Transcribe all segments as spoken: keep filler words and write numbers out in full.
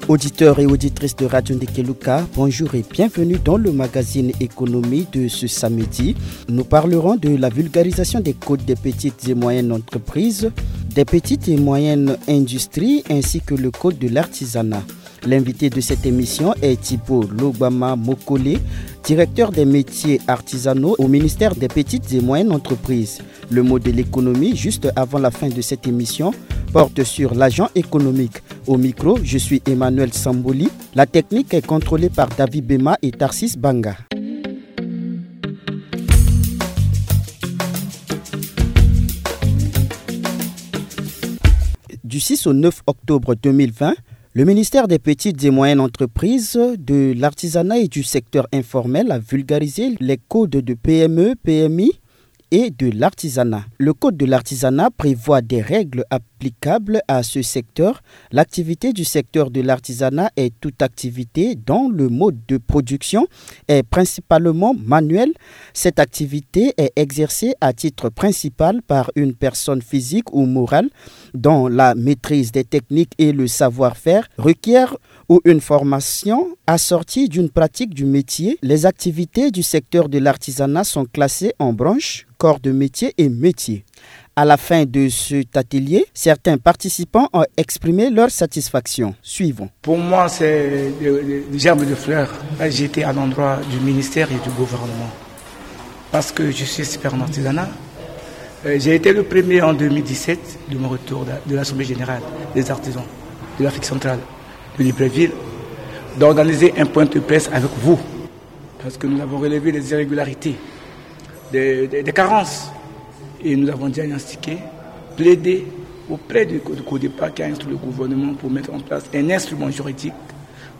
Auditeurs et auditrices de Radio Ndekeluka, bonjour et bienvenue dans le magazine économie de ce samedi. Nous parlerons de la vulgarisation des codes des petites et moyennes entreprises, des petites et moyennes industries ainsi que le code de l'artisanat. L'invité de cette émission est Thibault Logbama Mokole, directeur des métiers artisanaux au ministère des petites et moyennes entreprises. Le mot de l'économie, juste avant la fin de cette émission, porte sur l'agent économique. Au micro, je suis Emmanuel Samboli. La technique est contrôlée par David Bema et Tarsis Banga. Du six au neuf octobre deux mille vingt, le ministère des petites et moyennes entreprises, de l'artisanat et du secteur informel a vulgarisé les codes de P M E, P M I et de l'artisanat. Le code de l'artisanat prévoit des règles applicables à ce secteur. L'activité du secteur de l'artisanat est toute activité dont le mode de production est principalement manuel. Cette activité est exercée à titre principal par une personne physique ou morale dont la maîtrise des techniques et le savoir-faire requiert ou une formation assortie d'une pratique du métier. Les activités du secteur de l'artisanat sont classées en branches, corps de métier et métiers. À la fin de cet atelier, certains participants ont exprimé leur satisfaction. Suivons. Pour moi, c'est des, des germes de fleurs jetées à l'endroit du ministère et du gouvernement. Parce que je suis expert en artisanat. Euh, j'ai été le premier en deux mille dix-sept de mon retour de, de l'Assemblée générale des artisans de l'Afrique centrale de Libreville d'organiser un point de presse avec vous. Parce que nous avons relevé des irrégularités, des, des, des carences. Et nous avons diagnostiqué, plaidé auprès du, du CODEPA qui a instruit le gouvernement pour mettre en place un instrument juridique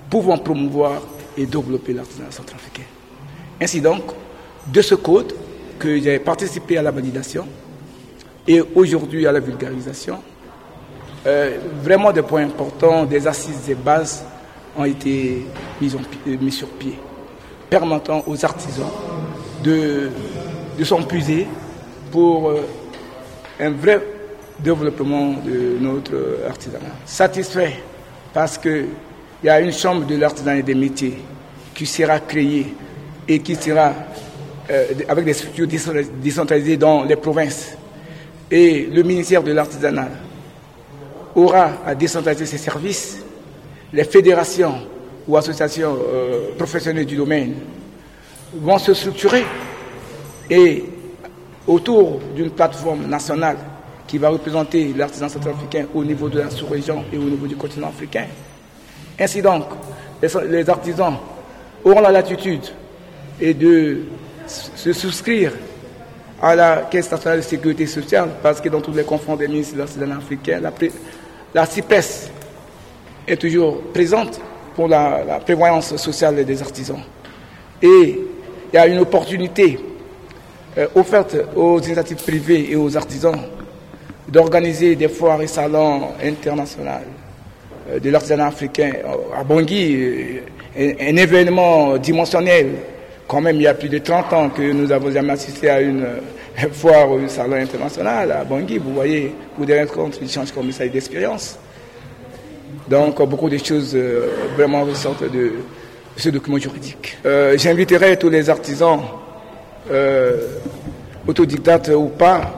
pouvant promouvoir et développer l'artisanat centrafricain. Ainsi donc, de ce code que j'ai participé à la validation et aujourd'hui à la vulgarisation, euh, vraiment des points importants, des assises, des bases ont été mises, en pi- euh, mises sur pied, permettant aux artisans de, de s'en puiser pour euh, un vrai développement de notre artisanat. Satisfait parce que il y a une chambre de l'artisanat et des métiers qui sera créée et qui sera euh, avec des structures décentralisées dans les provinces. Et le ministère de l'artisanat aura à décentraliser ses services. Les fédérations ou associations euh, professionnelles du domaine vont se structurer et autour d'une plateforme nationale qui va représenter l'artisan centrafricain au niveau de la sous-région et au niveau du continent africain. Ainsi donc, les, les artisans auront la latitude et de se souscrire à la Caisse nationale de sécurité sociale, parce que dans tous les conférences des ministres de l'artisanat africain, la, la CIPES est toujours présente pour la, la prévoyance sociale des artisans. Et il y a une opportunité euh, offerte aux initiatives privées et aux artisans d'organiser des foires et salons internationaux euh, de l'artisanat africain euh, à Bangui, euh, un, un événement dimensionnel. Quand même, il y a plus de trente ans que nous n'avons jamais assisté à une euh, foire ou un salon international à Bangui. Vous voyez, pour des rencontres, d'échanges comme ça et d'expérience. Donc, beaucoup de choses euh, vraiment ressortent de ce document juridique. Euh, j'inviterai tous les artisans, euh, autodidactes ou pas,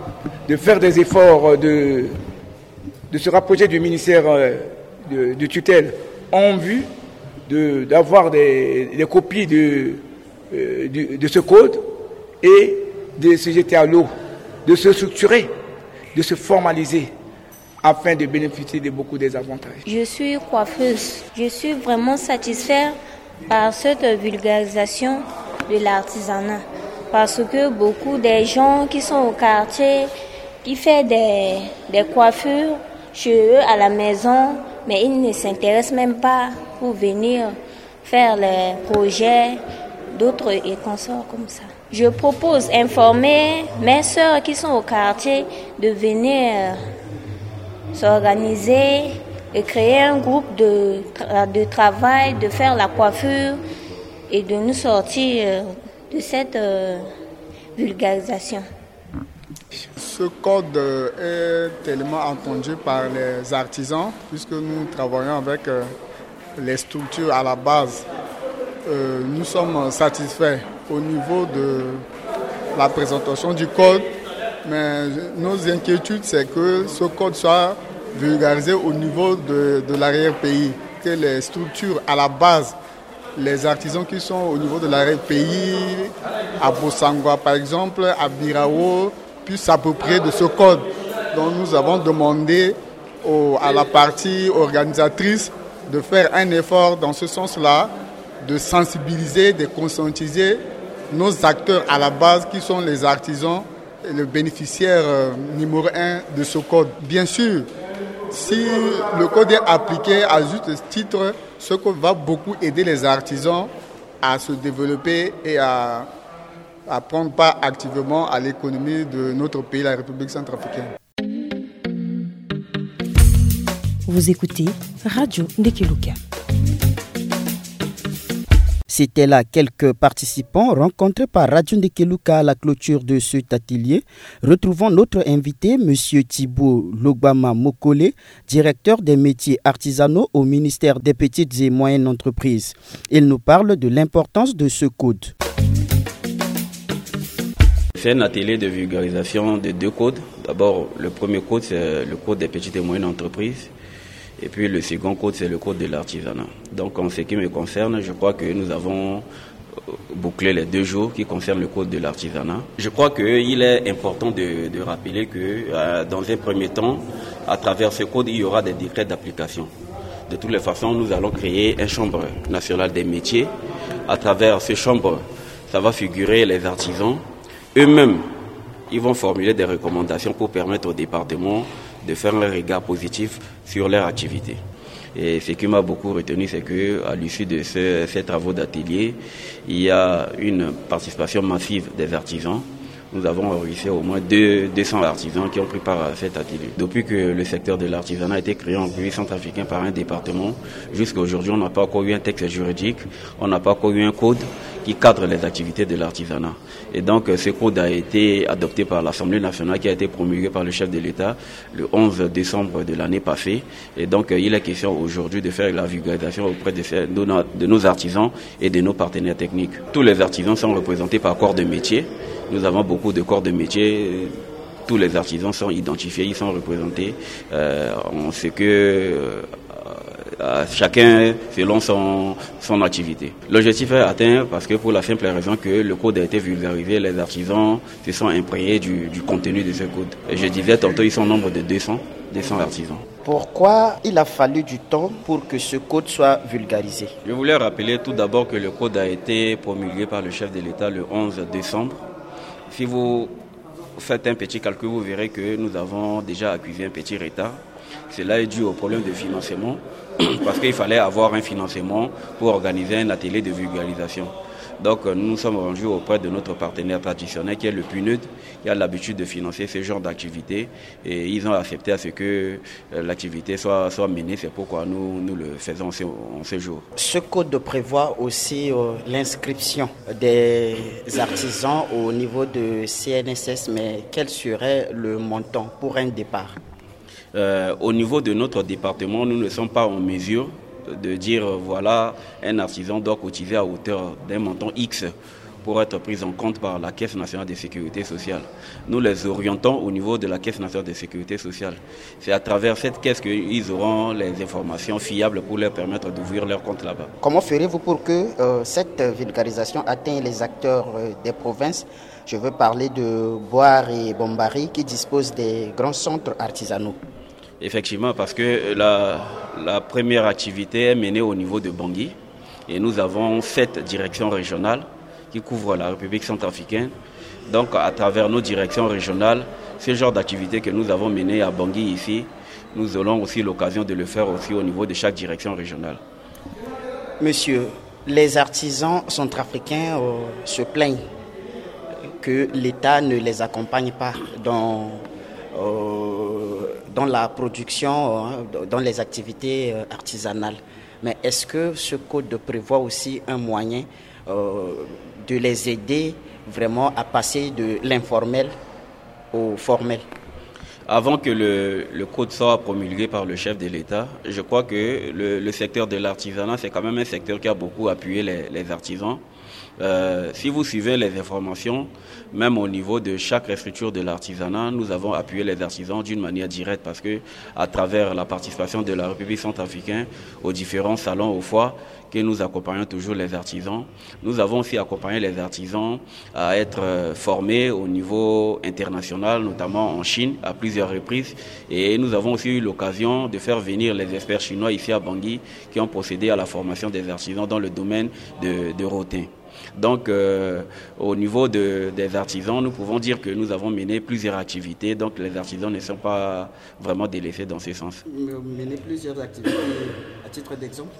de faire des efforts de, de se rapprocher du ministère euh, de, de tutelle en vue de, d'avoir des, des copies de, euh, de, de ce code et de se jeter à l'eau, de se structurer, de se formaliser afin de bénéficier de beaucoup des avantages. Je suis coiffeuse. Je suis vraiment satisfaite par cette vulgarisation de l'artisanat. Parce que beaucoup des gens qui sont au quartier, qui font des, des coiffures chez eux à la maison, mais ils ne s'intéressent même pas pour venir faire les projets d'autres et consorts comme ça. Je propose informer mes sœurs qui sont au quartier de venir euh, s'organiser et créer un groupe de, tra- de travail, de faire la coiffure et de nous sortir euh, de cette euh, vulgarisation. Ce code euh, est tellement attendu par les artisans, puisque nous travaillons avec euh, Les structures à la base, euh, nous sommes satisfaits au niveau de la présentation du code, mais nos inquiétudes, c'est que ce code soit vulgarisé au niveau de, de l'arrière-pays, que les structures à la base, les artisans qui sont au niveau de l'arrière-pays, à Bossangwa par exemple, à Birao, puissent s'approprier de ce code. Donc nous avons demandé au- à la partie organisatrice de faire un effort dans ce sens-là, de sensibiliser, de conscientiser nos acteurs à la base qui sont les artisans et le bénéficiaire euh, numéro un de ce code. Bien sûr, si le code est appliqué à juste titre, ce code va beaucoup aider les artisans à se développer et à, à prendre part activement à l'économie de notre pays, la République centrafricaine. Vous écoutez Radio Ndekeluka. C'étaient là quelques participants rencontrés par Radio Ndekeluka à la clôture de cet atelier. Retrouvons notre invité, M. Thibault Logbama Mokole, directeur des métiers artisanaux au ministère des Petites et Moyennes Entreprises. Il nous parle de l'importance de ce code. C'est un atelier de vulgarisation de deux codes. D'abord, le premier code, c'est le code des petites et moyennes entreprises. Et puis le second code, c'est le code de l'artisanat. Donc en ce qui me concerne, je crois que nous avons bouclé les deux jours qui concernent le code de l'artisanat. Je crois qu'il est important de, de rappeler que euh, dans un premier temps, à travers ce code, il y aura des décrets d'application. De toutes les façons, nous allons créer une chambre nationale des métiers. À travers cette chambre, ça va figurer les artisans. Eux-mêmes, ils vont formuler des recommandations pour permettre au département de faire un regard positif sur leur activité. Et ce qui m'a beaucoup retenu, c'est que à l'issue de ce- ces travaux d'atelier, il y a une participation massive des artisans. Nous avons réussi au moins deux- deux cents artisans qui ont pris part à cet atelier. Depuis que le secteur de l'artisanat a été créé en République centrafricaine par un département, jusqu'à aujourd'hui, on n'a pas encore eu un texte juridique, on n'a pas encore eu un code qui cadre les activités de l'artisanat. Et donc, euh, ce code a été adopté par l'Assemblée nationale qui a été promulgué par le chef de l'État le onze décembre de l'année passée. Et donc, euh, il est question aujourd'hui de faire la vulgarisation auprès de, ces- de nos, de nos artisans et de nos partenaires techniques. Tous les artisans sont représentés par corps de métier. Nous avons beaucoup de corps de métier. Tous les artisans sont identifiés, ils sont représentés. Euh, on sait que euh, euh, chacun selon son, son activité. L'objectif est atteint parce que pour la simple raison que le code a été vulgarisé, les artisans se sont imprégnés du, du contenu de ce code. Et je disais tantôt, ils sont au nombre de deux cents, deux cents artisans. Pourquoi il a fallu du temps pour que ce code soit vulgarisé ? Je voulais rappeler tout d'abord que le code a été promulgué par le chef de l'État le onze décembre. Si vous faites un petit calcul, vous verrez que nous avons déjà accusé un petit retard. Cela est dû au problème de financement, parce qu'il fallait avoir un financement pour organiser un atelier de vulgarisation. Donc euh, nous nous sommes rendus auprès de notre partenaire traditionnel qui est le PNUD, qui a l'habitude de financer ce genre d'activité, et ils ont accepté à ce que euh, l'activité soit, soit menée. C'est pourquoi nous, nous le faisons en ce, en ce jour. Ce code prévoit aussi euh, l'inscription des artisans au niveau de C N S S, mais quel serait le montant pour un départ ? Euh, au niveau de notre département, nous ne sommes pas en mesure de dire euh, voilà, un artisan doit cotiser à hauteur d'un montant X pour être pris en compte par la Caisse nationale de sécurité sociale. Nous les orientons au niveau de la Caisse nationale de sécurité sociale. C'est à travers cette caisse qu'ils auront les informations fiables pour leur permettre d'ouvrir leur compte là-bas. Comment ferez-vous pour que euh, cette vulgarisation atteigne les acteurs euh, des provinces ? Je veux parler de Bouar et Bombari qui disposent des grands centres artisanaux. Effectivement, parce que la, la première activité est menée au niveau de Bangui et nous avons sept directions régionales qui couvrent la République centrafricaine. Donc, à travers nos directions régionales, ce genre d'activité que nous avons mené à Bangui ici, nous aurons aussi l'occasion de le faire aussi au niveau de chaque direction régionale. Monsieur, les artisans centrafricains euh, se plaignent que l'État ne les accompagne pas dans, euh, dans la production, euh, dans les activités euh, artisanales. Mais est-ce que ce code prévoit aussi un moyen euh, de les aider vraiment à passer de l'informel au formel ? Avant que le, le code soit promulgué par le chef de l'État, je crois que le, le secteur de l'artisanat, c'est quand même un secteur qui a beaucoup appuyé les, les artisans. Euh, si vous suivez les informations, même au niveau de chaque structure de l'artisanat, nous avons appuyé les artisans d'une manière directe parce que, à travers la participation de la République centrafricaine aux différents salons, aux foires, que nous accompagnons toujours les artisans. Nous avons aussi accompagné les artisans à être euh, formés au niveau international, notamment en Chine, à plusieurs reprises. Et nous avons aussi eu l'occasion de faire venir les experts chinois ici à Bangui qui ont procédé à la formation des artisans dans le domaine de, de Rotin. Donc, euh, au niveau de, des artisans, nous pouvons dire que nous avons mené plusieurs activités. Donc, les artisans ne sont pas vraiment délaissés dans ce sens. Mener plusieurs activités, à titre d'exemple.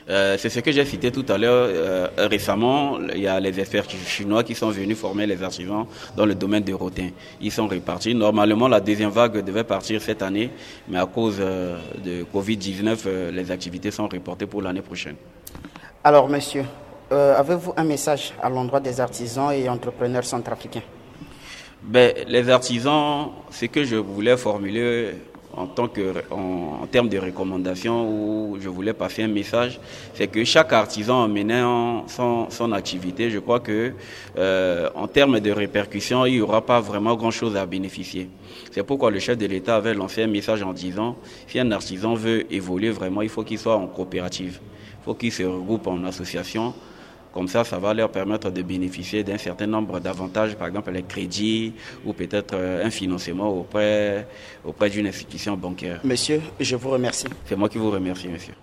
Euh, c'est ce que j'ai cité tout à l'heure. Euh, récemment, il y a les experts chi- chinois qui sont venus former les artisans dans le domaine de Rotin. Ils sont repartis. Normalement, la deuxième vague devait partir cette année, mais à cause euh, de covid dix-neuf, euh, les activités sont reportées pour l'année prochaine. Alors, monsieur, euh, avez-vous un message à l'endroit des artisans et entrepreneurs centrafricains? Ben, les artisans, ce que je voulais formuler en tant que, en, en termes de recommandations, où je voulais passer un message, c'est que chaque artisan, en menant son, son activité, je crois que, euh, en termes de répercussions, il n'y aura pas vraiment grand-chose à bénéficier. C'est pourquoi le chef de l'État avait lancé un message en disant, si un artisan veut évoluer vraiment, il faut qu'il soit en coopérative, il faut qu'il se regroupe en association. Comme ça, ça va leur permettre de bénéficier d'un certain nombre d'avantages, par exemple les crédits ou peut-être euh, un financement auprès, auprès d'une institution bancaire. Monsieur, je vous remercie. C'est moi qui vous remercie, monsieur.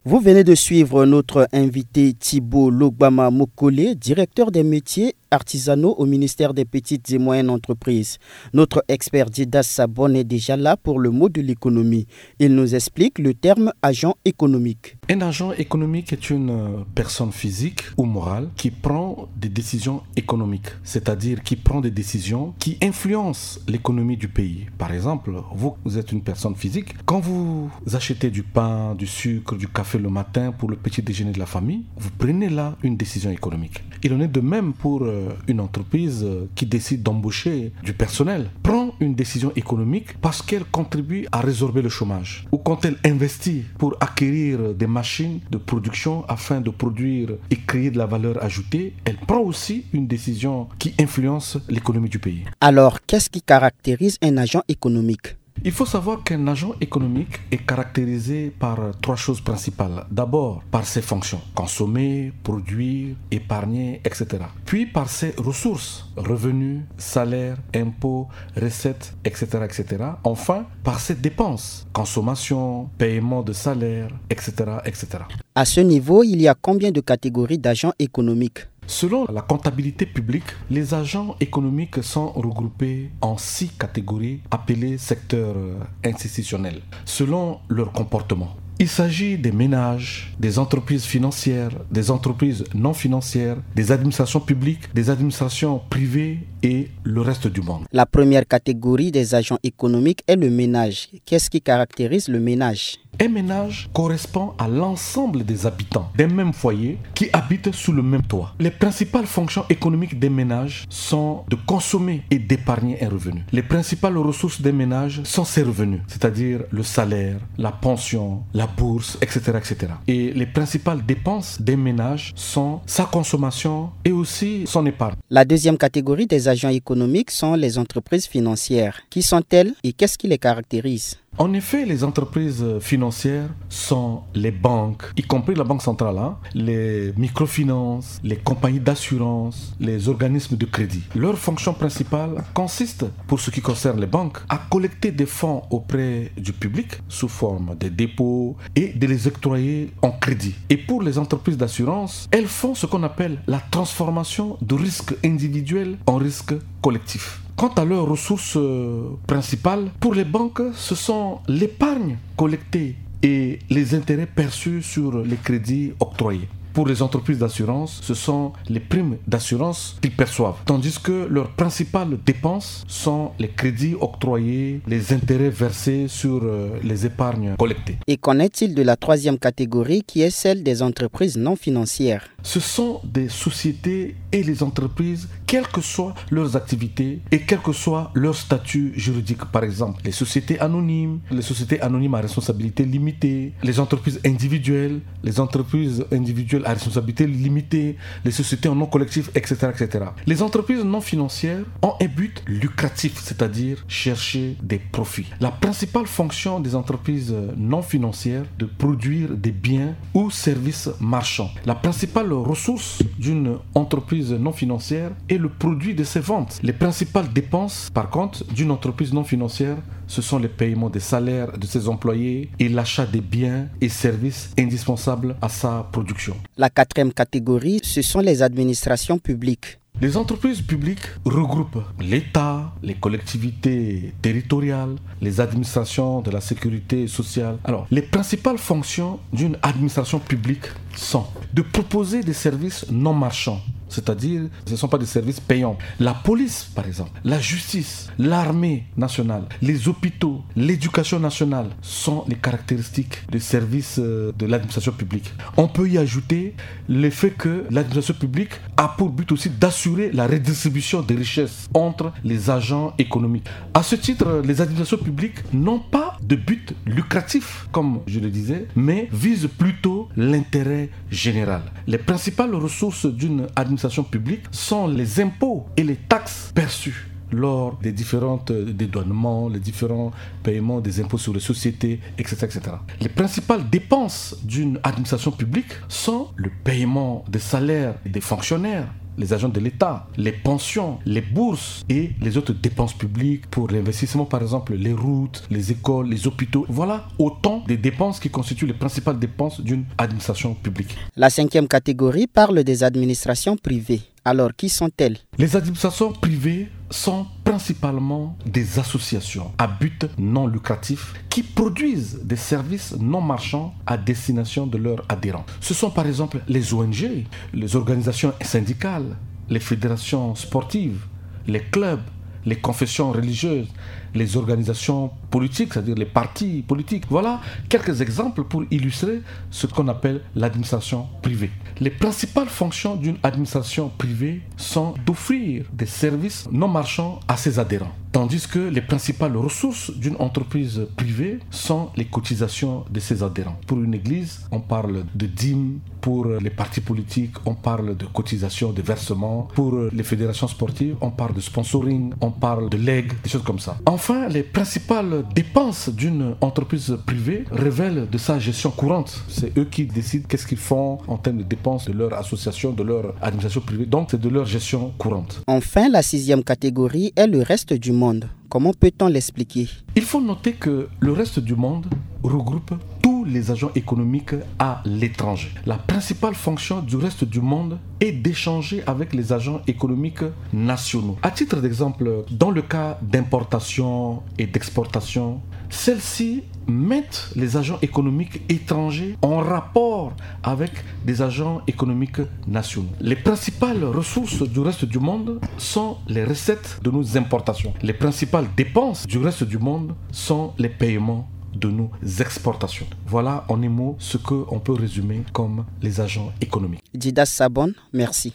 Vous venez de suivre notre invité Thibault Logbama Mokole, directeur des métiers artisanaux au ministère des petites et moyennes entreprises. Notre expert Didas Sabon est déjà là pour le mot de l'économie. Il nous explique le terme agent économique. Un agent économique est une euh, personne physique ou morale qui prend des décisions économiques, c'est-à-dire qui prend des décisions qui influencent l'économie du pays. Par exemple, vous, vous êtes une personne physique. Quand vous achetez du pain, du sucre, du café le matin pour le petit déjeuner de la famille, vous prenez là une décision économique. Il en est de même pour euh, une entreprise euh, qui décide d'embaucher du personnel. Prend une décision économique parce qu'elle contribue à résorber le chômage. Ou quand elle investit pour acquérir des machines de production afin de produire et créer de la valeur ajoutée, elle prend aussi une décision qui influence l'économie du pays. Alors, qu'est-ce qui caractérise un agent économique ? Il faut savoir qu'un agent économique est caractérisé par trois choses principales. D'abord, par ses fonctions, consommer, produire, épargner, et cetera. Puis par ses ressources, revenus, salaires, impôts, recettes, et cetera, et cetera. Enfin, par ses dépenses, consommation, paiement de salaire, et cetera, et cetera. À ce niveau, il y a combien de catégories d'agents économiques ? Selon la comptabilité publique, les agents économiques sont regroupés en six catégories appelées secteurs euh, institutionnels, selon leur comportement. Il s'agit des ménages, des entreprises financières, des entreprises non financières, des administrations publiques, des administrations privées et le reste du monde. La première catégorie des agents économiques est le ménage. Qu'est-ce qui caractérise le ménage ? Un ménage correspond à l'ensemble des habitants d'un même foyer qui habitent sous le même toit. Les principales fonctions économiques d'un ménage sont de consommer et d'épargner un revenu. Les principales ressources d'un ménage sont ses revenus, c'est-à-dire le salaire, la pension, la bourse, et cetera, et cetera. Et les principales dépenses d'un ménage sont sa consommation et aussi son épargne. La deuxième catégorie des agents économiques sont les entreprises financières. Qui sont-elles et qu'est-ce qui les caractérise ? En effet, les entreprises financières sont les banques, y compris la Banque centrale, hein, les microfinances, les compagnies d'assurance, les organismes de crédit. Leur fonction principale consiste, pour ce qui concerne les banques, à collecter des fonds auprès du public sous forme de dépôts et de les octroyer en crédit. Et pour les entreprises d'assurance, elles font ce qu'on appelle la transformation de risques individuels en risques collectifs. Quant à leurs ressources euh, principales, pour les banques, ce sont l'épargne collectée et les intérêts perçus sur les crédits octroyés. Pour les entreprises d'assurance, ce sont les primes d'assurance qu'ils perçoivent, tandis que leurs principales dépenses sont les crédits octroyés, les intérêts versés sur euh, les épargnes collectées. Et qu'en est-il de la troisième catégorie qui est celle des entreprises non financières ? Ce sont des sociétés et les entreprises, quelles que soient leurs activités et quel que soit leur statut juridique. Par exemple, les sociétés anonymes, les sociétés anonymes à responsabilité limitée, les entreprises individuelles, les entreprises individuelles à responsabilité limitée, les sociétés en nom collectif, et cetera, et cetera. Les entreprises non financières ont un but lucratif, c'est-à-dire chercher des profits. La principale fonction des entreprises non financières de produire des biens ou services marchands. La principale ressource d'une entreprise non financière est le produit de ses ventes. Les principales dépenses, par contre, d'une entreprise non financière, ce sont les paiements des salaires de ses employés et l'achat des biens et services indispensables à sa production. La quatrième catégorie, ce sont les administrations publiques. Les entreprises publiques regroupent l'État, les collectivités territoriales, les administrations de la sécurité sociale. Alors, les principales fonctions d'une administration publique sont de proposer des services non marchands, c'est-à-dire ce ne sont pas des services payants. La police, par exemple, la justice, l'armée nationale, les hôpitaux, l'éducation nationale sont les caractéristiques des services euh, de l'administration publique. On peut y ajouter le fait que l'administration publique a pour but aussi d'assurer la redistribution des richesses entre les agents économiques. À ce titre, les administrations publiques n'ont pas de but lucratif, comme je le disais, mais visent plutôt l'intérêt général. Les principales ressources d'une administration publique sont les impôts et les taxes perçues lors des différents euh, dédouanements, les différents paiements des impôts sur les sociétés, et cetera, et cetera. Les principales dépenses d'une administration publique sont le paiement des salaires des fonctionnaires, les agents de l'État, les pensions, les bourses et les autres dépenses publiques pour l'investissement, par exemple les routes, les écoles, les hôpitaux. Voilà autant de dépenses qui constituent les principales dépenses d'une administration publique. La cinquième catégorie parle des administrations privées. Alors, qui sont-elles ? Les administrations privées sont principalement des associations à but non lucratif qui produisent des services non marchands à destination de leurs adhérents. Ce sont par exemple les O N G, les organisations syndicales, les fédérations sportives, les clubs, les confessions religieuses, les organisations politiques, c'est-à-dire les partis politiques. Voilà quelques exemples pour illustrer ce qu'on appelle l'administration privée. Les principales fonctions d'une administration privée sont d'offrir des services non marchands à ses adhérents, tandis que les principales ressources d'une entreprise privée sont les cotisations de ses adhérents. Pour une église, on parle de dîmes, pour les partis politiques, on parle de cotisations, de versements. Pour les fédérations sportives, on parle de sponsoring, on parle de legs, des choses comme ça. Enfin, les principales dépenses d'une entreprise privée relèvent de sa gestion courante. C'est eux qui décident qu'est-ce qu'ils font en termes de dépenses de leur association, de leur administration privée. Donc, c'est de leur gestion courante. Enfin, la sixième catégorie est le reste du monde. Comment peut-on l'expliquer ? Il faut noter que le reste du monde regroupe tous les agents économiques à l'étranger. La principale fonction du reste du monde est d'échanger avec les agents économiques nationaux. À titre d'exemple, dans le cas d'importation et d'exportation, celles-ci mettent les agents économiques étrangers en rapport avec des agents économiques nationaux. Les principales ressources du reste du monde sont les recettes de nos importations. Les principales dépenses du reste du monde sont les paiements de nos exportations. Voilà en un mot ce qu'on peut résumer comme les agents économiques. Dida Sabon, merci.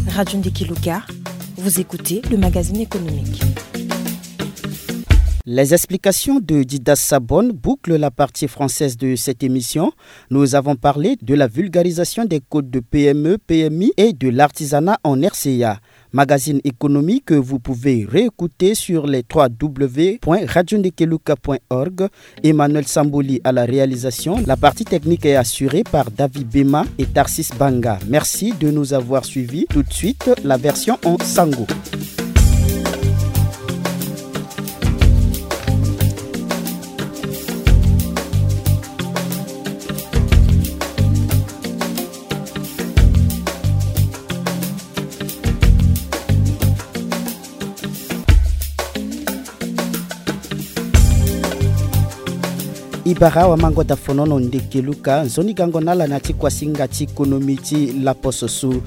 Radio Ndekiluka, vous écoutez le magazine économique. Les explications de Dida Sabon bouclent la partie française de cette émission. Nous avons parlé de la vulgarisation des codes de P M E, P M I et de l'artisanat en R C A. Magazine économique que vous pouvez réécouter sur les trois W point radio ndekeluka point org. Emmanuel Samboli à la réalisation. La partie technique est assurée par David Bema et Tarsis Banga. Merci de nous avoir suivis. Tout de suite, la version en sango. I bara wamango da fonono ndeke luka nzoni gango na ala na ti kuasinga ti konomi ti laposo so.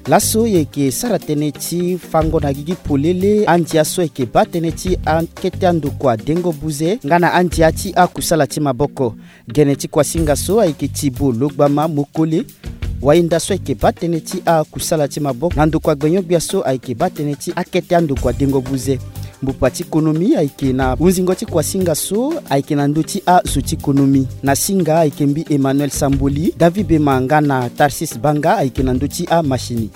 Laso e yeke sara tënë ti fango na gigi polele andia so ayeke baa tënë ti akete andokua dengo buze nga na andia ti akusala ti maboko. Gene ti kuasinga so ayeke Tibo Logbama Mokole. Wayenda so ayeke baa tënë ti akusala ti maboko na ndokua gbenyo-gbia so ayeke baa tënë ti akete andokua dengo buze. Mbupa ti konomi ayeke na hunzingo ti kuasinga so ayeke na ndö ti azo ti konomi. Na singa ayeke mbi Emmanuel Samboli, David Bema nga na Tarsis Banga ayeke na ndö ti amashini.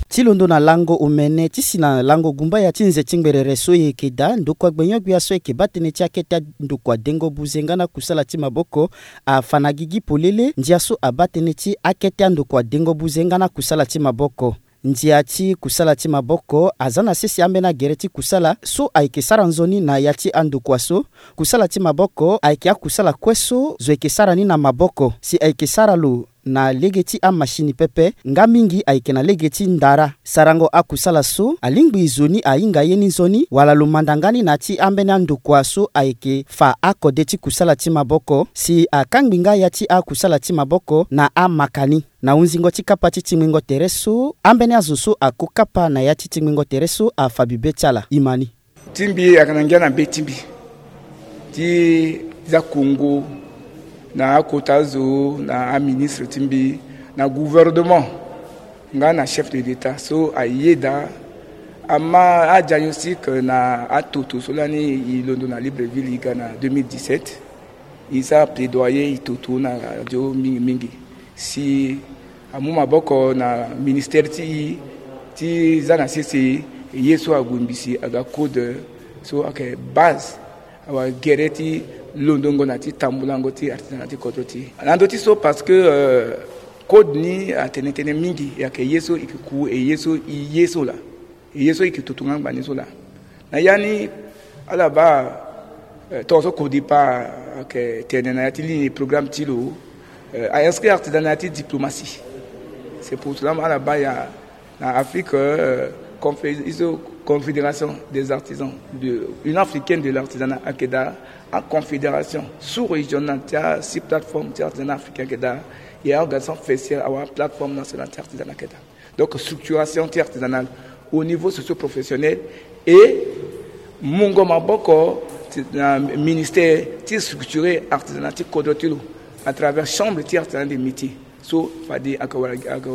Ti londo na lango omene ti si na lango gumbaya ti nze ti ngberere so e yeke daa, ndokua gbenyo-gbia so ayeke baa tënë ti akete andokua dengo buze nga na kusala ti maboko afa na gigi polele ndia so abaa tënë ti akete andokua dengo buze nga na kusala ti maboko. Ndia ti kusala ti maboko aza na sese ambeni agere ti kusala so ayeke sara nzoni na ya ti andokua so. Kusala ti maboko ayeke akusala kue so zo yeke sara ni na maboko si ayeke sara lo na lege ti amashini pepe nga mingi ayeke na lege ti ndara. Sarango akusala so alingbi zo ni ahinga ye ni nzoni wala lo manda nga ni na ya ti ambeni andokua so ayeke fa akode ti kusala ti maboko si akangbi nga ya ti akusala ti maboko na amaka ni. Na hunzingo ti kapa ti tingbingo tere so, ambeni azo so ako kapa na ya ti tingbingo tere so afa bibe ti ala. Imani. Ti mbi ayeke na ngia na be ti mbi ti za kongo na akota azo na aministre ti mbi na gouvernement nga na chef de l'état so ayeda ama adiagnostic na atoto so lani e londo na Libreville e ga na deux mille dix-sept. E sara plaidoyer e toto na radio mingi mingi si amu maboko na ministère ti e ti za na sese ye so ague mbisi aga code so ayeke base awa gere ti londongo na ti tambulango ti artisanat ti kodro ti e. Na ndö ti so parce que euh, code ni atene tënë mingi e ayeke ye so e yeke ku e ye so e ye so laa. E ye so e yeke toto nga ngba ni so laa. Na ya ni ala baa eh, tongaso CODIPA ayeke tene na ya ti ligne programme ti lo eh, a inscrit artisanat na ya ti diplomatie. C'est pour cela ala baa ya na Afrique euh, confé- iso confédération des artisans de, une africaine de l'artisanat ayeke daa. Aconfédération sous-régionale ti asi plateforme ti artisanat africain ayeke daa. E organisation faciale awa plateforme nationale ti artisanat ayeke daa. Donc structuration ti artisanale au niveau socio-professionnel et mungo maboko ti- na ministère ti structurer artisanat ti kodro ti lo à travers chambre ti artisanat des métiers. So fade aka wara aka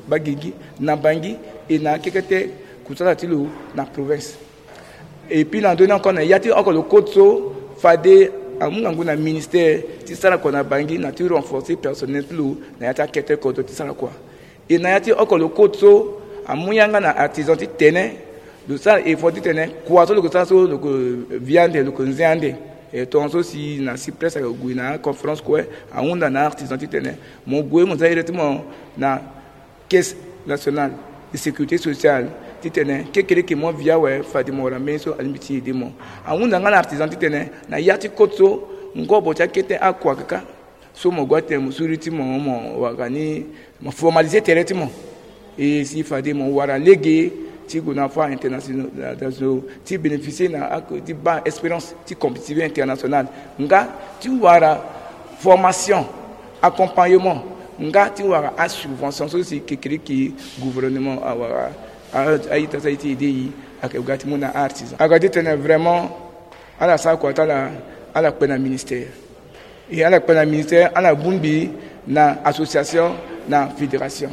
baa gigi na Bangui et na akekete kusala ti lo na province. Et puis na ndö ni encore na ya ti oko lo code so fade amu ngangu na ministère ti sara kua na Bangui na ti renforcer personnel ti lo na ya ti akete kodro ti sara kua. E na ya ti oko lo code so amu yanga na artisan ti tene lo sara effort ti tene kua so lo yeke sara so lo yeke via ande lo yeke nze ande. E tongaso si na si presse ayeke gue na aconférence kue ahunda na artisan ti tene mo gue mo za ere ti mo na caisse nationale de sécurité sociale ti tene kekereke mo via awe fade mo wara mbeni so alingbi ti aide mo. Ahunda nga na artisan ti tene na ya ti code so ngobo ti akete akua kaka so mo gue atene mo suri ti mo mo wara ni mo formaliser tere ti mo. E si fade mo wara lege ti gue na foire internationale ti bénéficier na ti baa expérience ti compétitivité internationale nga ti wara formation, accompagnement nga ti wara asubvention so si kekereke gouvernement awara a- a- aita so aye ti aide e ayeke ga ti mu na artisan aga ti tene vraiment ala sara kua ti ala ala kpe na ministère. E ala kpe na ministère ala bongbi na association na fédération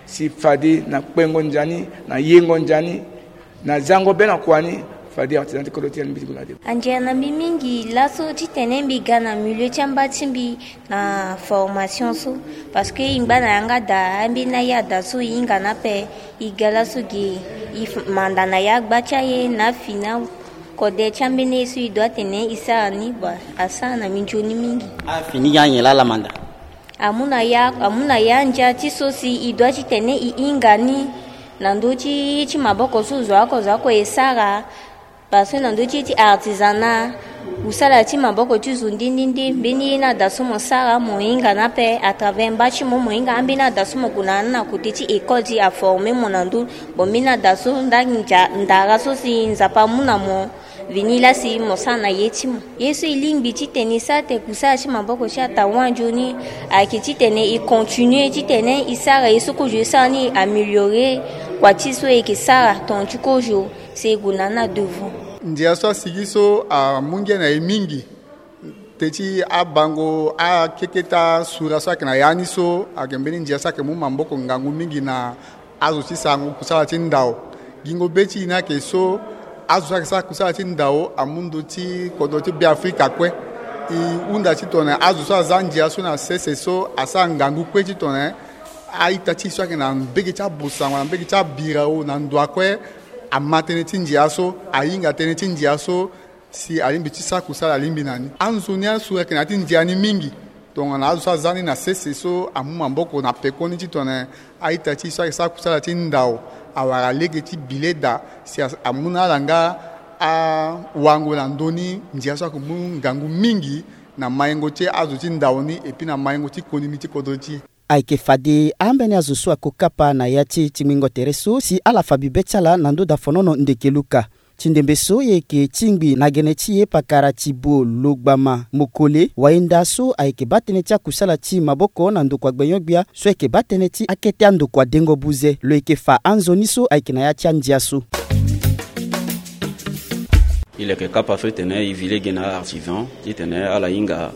si fade na kpengo ndia ni na yengo ndia ni na zango be na kua ni fade artisan ti kodro ti ala mbiti gue na de. Andia na mbi mingi laso titene mbi ga na milieu ti amba ti mbi na formation so. Parce que e ngba na yanga daa ambeni aya daa so e hinga ni ape. E ga laso ge e manda na ya agba ti aye na afi na kode ti ambeni ye so e dua atene e sara ni bua asara na mbi nzoni mingi. Afi ni ge anyen laa ala manda? Amu na ya amu na ya ndia ti so si e dua titene e hinga ni na ndö ti ye ti maboko so zo oko zo oko e sara. Parce que na ndö ti ye ti artisanat kusala ti maboko ti zo nde nde nde mbeni ye ni ada so mo sara mo hinga ni ape à travers mba ti mo mo hinga ambeni ada so mo gue na ni na kote ti école ti aforme mo na ndö. Bon mbeni ada so nda ndia ndara so si nzapa amu na mo Vini lasi mo sara na ye ti mo. Ye so e lingbi titene e sara tene kusala ti maboko ti ata wande ni ayeke titene e continue titene e sara ye so kozo e sara ni, e améliorer kua ti so e yeke sara tonga ti kozo, si e gue na ni na devant. Ndia so asigi so amu ngia na e mingi. Teti abango akeketa sura so ayeke na ya ni so ayeke mbeni ndia so ayeke mu maboko ngangu mingi na azo ti sarango kusala ti ndao. Gingo be ti e ni ayeke so azo so ayeke sara kusala ti ndao amu ndö ti kodro ti Beafrika kue. E hunda titene azo so aza ndia so na sese so asara ngangu kue titene a-ita ti e so ayeke na mbege ti abosango na mbege ti abirao na ndo akue ama tënë ti ndia so, ahinga tënë ti ndia so, si alingbi ti sara kusala alingbi na ni. Anzoni asu ayeke na ya ti ndia ni mingi. Tongana azo so aza ni na sese so amu maboko na pekoni titene a-ita ti e so ayeke sara kusala ti ndao awara lege ti billet daa, si a- amu na ala nga awango na ndö ni ndia so ayeke mu ngangu mingi na maingo ti azo ti ndao ni, epui na maingo ti konini ti kodro ti e. Ayeke fade ambeni azo so ako kapa na ya ti e ti ngbingo tere so si ala fa bibe ti ala na ndö dafonono ndeke luka. Ti ndembe so e yeke tingbi na gene ti e pakara Thibaut Logbama Mokole, wayenda so ayeke baa tënë ti akusala ti maboko na ndokua gbenyo-gbia so ayeke baa tënë ti akete andokua dengo buze, lo yeke fa anzoni so ayeke na ya ti andia so. E leke kapa so titene e zi lege na artisan titene ala hinga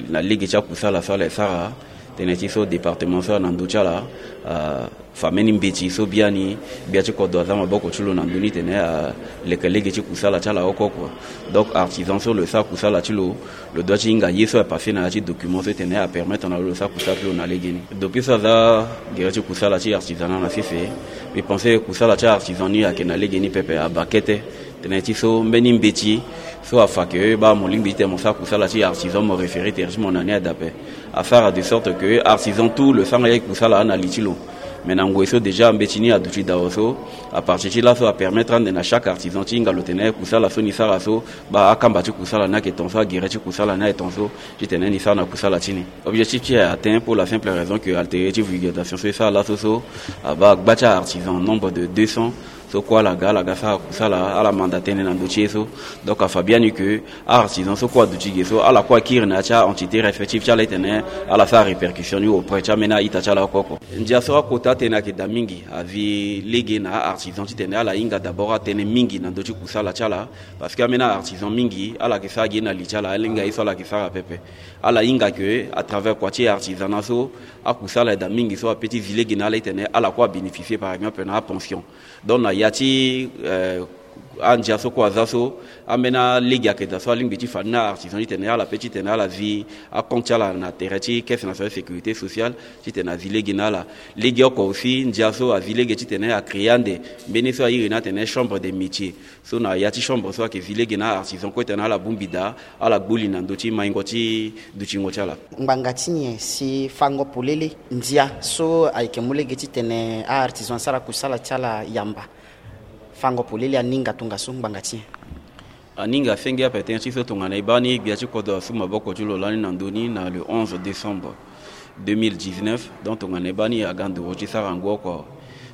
na lege ti akusala so ala e sara. Tënë ti so département so na ndö ti ala, ah, fa mbeni mbeti so biani gbia ti kodro aza maboko ti lo na ndö ni titene aleke lege ti kusala ti ala oko kua. Donc artisan so lo e sara kusala ti lo, lo doit ti hinga ye so apasse na ya ti document so titene apermettre na lo lo sara kusala ti lo na legeni. Depuis so aza gere ti kusala ti artisanat na sese, mbi pense kusala ti artisan ni ayeke na legeni pepe, abaa kete. Tënë ti so mbeni mbeti so afa ke baa mo lingbi titene mo sara kusala ti artisan, mo référer tere ti mo na ni adape. Asara de sorte que artisan tout lo sara nga ye kusala na li ti lo. Mais na ngoi so déjà mbeti ni aduti dao so, à partir ti laso apermettre ande na chaque artisan ti hinga lo tene kusala so ni sara so, baa akamba ti kusala ni ayeke ton so, agere ti kusala ni ayeke ton so, titene ni sara na kusala ti ni. Objectif ti e atteint pour la simple raison que atelier ti vulgarisation so e sara laso so abaa gba ti artisan nombre de deux cents. So kue ala ga, ala ga sara kusala, ala manda tënë na ndö ti e so. Donc afa biani ke a-artisan so kue aduti ge so, ala kue akiri na ya ti a-entité respective ti ala titene ala sara répercussion ni auprès ti ambeni a-ita ti ala oko oko. Ndia so akota tënë ayeke daa mingi, azi lege na a-artisan titene ala hinga d'abord atënë mingi na ndö ti kusala ti ala. Parce que ambeni a-artisan mingi ala yeke sara ge na li ti ala, ala hinga ye so ala yeke sara pepe. Ala hinga ke à travers kua ti artisanat so, akusala ayeke daa mingi so ape ti zi lege na ala titene ala kue abénéficier par exemple na apension. Donc na ya ti, euh, andia so kue aza so, ambeni alege ayeke daa so alingbi ti fa ni na artisan titene ala pe titene ala zi acompte ti ala na tere ti Caisse Nationale de Sécurité Sociale titene azi lege na ala. Lege oko aussi ndia so azi lege titene acréer ande mbeni so airi ni atene chambre de métier. So na ya ti chambre so ayeke zi lege na artisan kue titene ala bongbi daa, ala gbu li na ndö ti maingo ti dutingo ti ala. Ngbanga ti nyen si fango polele ndia so ayeke mu lege titene a-artisan asara kusala ti ala yamba? Fango polele aninga tongaso ngbanga ti nyen? Aninga senge ape tënë ti so tongana e baa ni gbia ti kodro asu maboko ti lo lani na ndö ni na le onze décembre deux mille dix-neuf. Donc tongana e baa ni aga nduru ti sara ngu oko.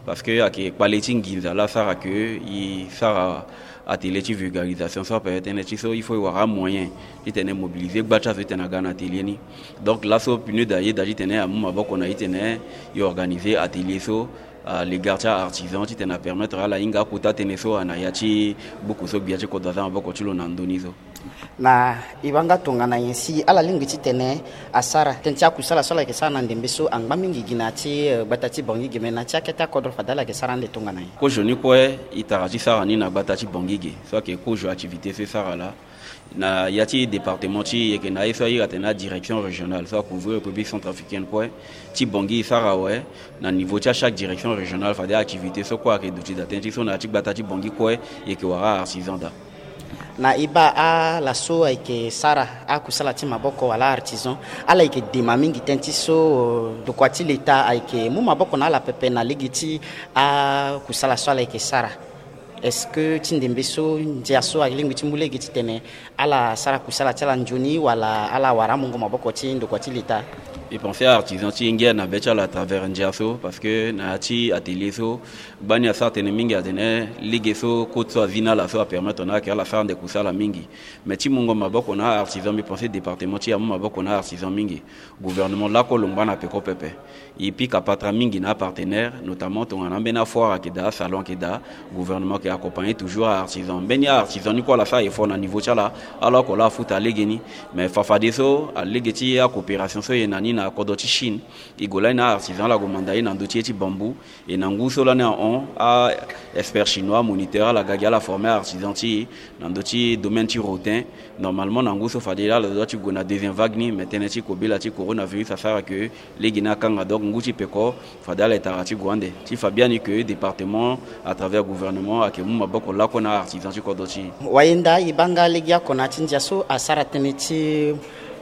Parce que ayeke kpale ti nginza laa asara ke e sara atelier ti vulgarisation so ape, tënë ti so il faut e wara amoyen titene e mobiliser gba ti azo titene aga na atelier ni. Donc laso PNUD ayeda titene amu maboko na e titene e organiser atelier so à l'égard ti a-artisan titene apermettre ala hinga akota tënë so na ya ti buku so gbia ti kodro aza maboko ti lo na ndö ni so. Na e baa nga tongana nyen si ala lingbi titene asara tënë ti akusala so ala yeke sara na ndembe so angba mingi gi na ya ti, eh, gbata ti Bangui ge, me na ya ti akete akodro fade ala yeke sara ande tongana nyen? Kozo ni kue e tara ti sara ni na gbata ti Bangui ge so ayeke kozo activité so e sara laa. Na ya ti département ti e yeke na ye so a iri atene adirection régionale so a couvrir République centrafricaine kue. Ti Bangui e sara awe. Na niveau ti a chaque direction régionale fade activité so kue ayeke duti daa, tënë ti so na ya ti gbata ti Bangui kue e yeke wara artisan daa. Na e baa ala so ayeke sara akusala ti maboko wala artisan, ala yeke dema mingi tënë ti so, euh, ndokua ti leta ayeke mu maboko na ala pepe na lege ti akusala so ala yeke sara. Est-ce que ti ndembe so ndia so alingbi ti mu lege titene ala sara kusala ti ala nzoni wala ala wara amungo maboko ti ndokua ti leta? E pensé artisan ti ngia na be ti ala à travers ndia so, parce que na ya ti atelier so gbani asara tënë mingi atene lege so côte so azi na ala so apermettre na ala ke ala sara nde kusala mingi. Mais ti mungo maboko na artisan, mbi pensé département ti e amu maboko na artisan mingi. Gouvernement lakue lo ngba na peko pepe. E pika patara mingi na apartenaire, notamment tongana ambeni afoire ayeke daa, asalon ayeke daa, gouvernement ayeke accompagner toujours aartisan. Mbeni aartisan ni kue ala sara effort na niveau ti ala, ala oko laa afuta lege ni. Mais fafadeso alege ti acoopération so e na ni na kodro ti Chine, e gue lani na aartisan ala gue manda e na ndö ti ye ti bambou. E na ngu so lani ahon, a-expert chinois, amoniteur, ala ga gi ala former aartisan ti e na ndö ti domaine ti rotin. Normalement na ngu so fade ala doit ti gue na deuxième vague ni, mais tënë ti kobela ti coronavirus asara ke lege ni akanga. Donc ngu ti peko fade ala etara ti gue ande. Ti fa biani ke département à travers gouvernement ayeke mu maboko lakue na aartisan ti kodro ti e. Wayenda e baa nga lege oko na ya ti ndia so asara tënë ti,